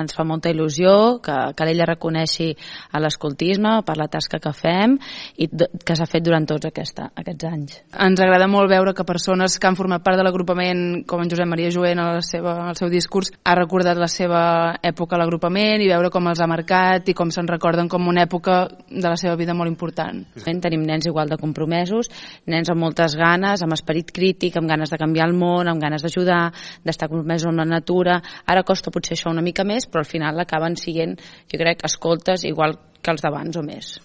Ens fa molta il·lusió que l'ella reconeixi a l'escoltisme per la tasca que fem i que s'ha fet durant tots aquests anys. Ens agrada molt veure que persones que han format part de l'agrupament, com en Josep Maria Joent al seu discurs, ha recordat la seva època a l'agrupament i veure com els ha marcat i com se'n recorden com una època de la seva vida molt important. Tenim nens igual de compromesos, nens amb moltes ganes, amb esperit crític, amb ganes de canviar el món, amb ganes d'ajudar, d'estar compromesos amb la natura. Ara costa potser això una mica més, però al final acaben sent, jo crec, escoltes igual que els d'abans o més.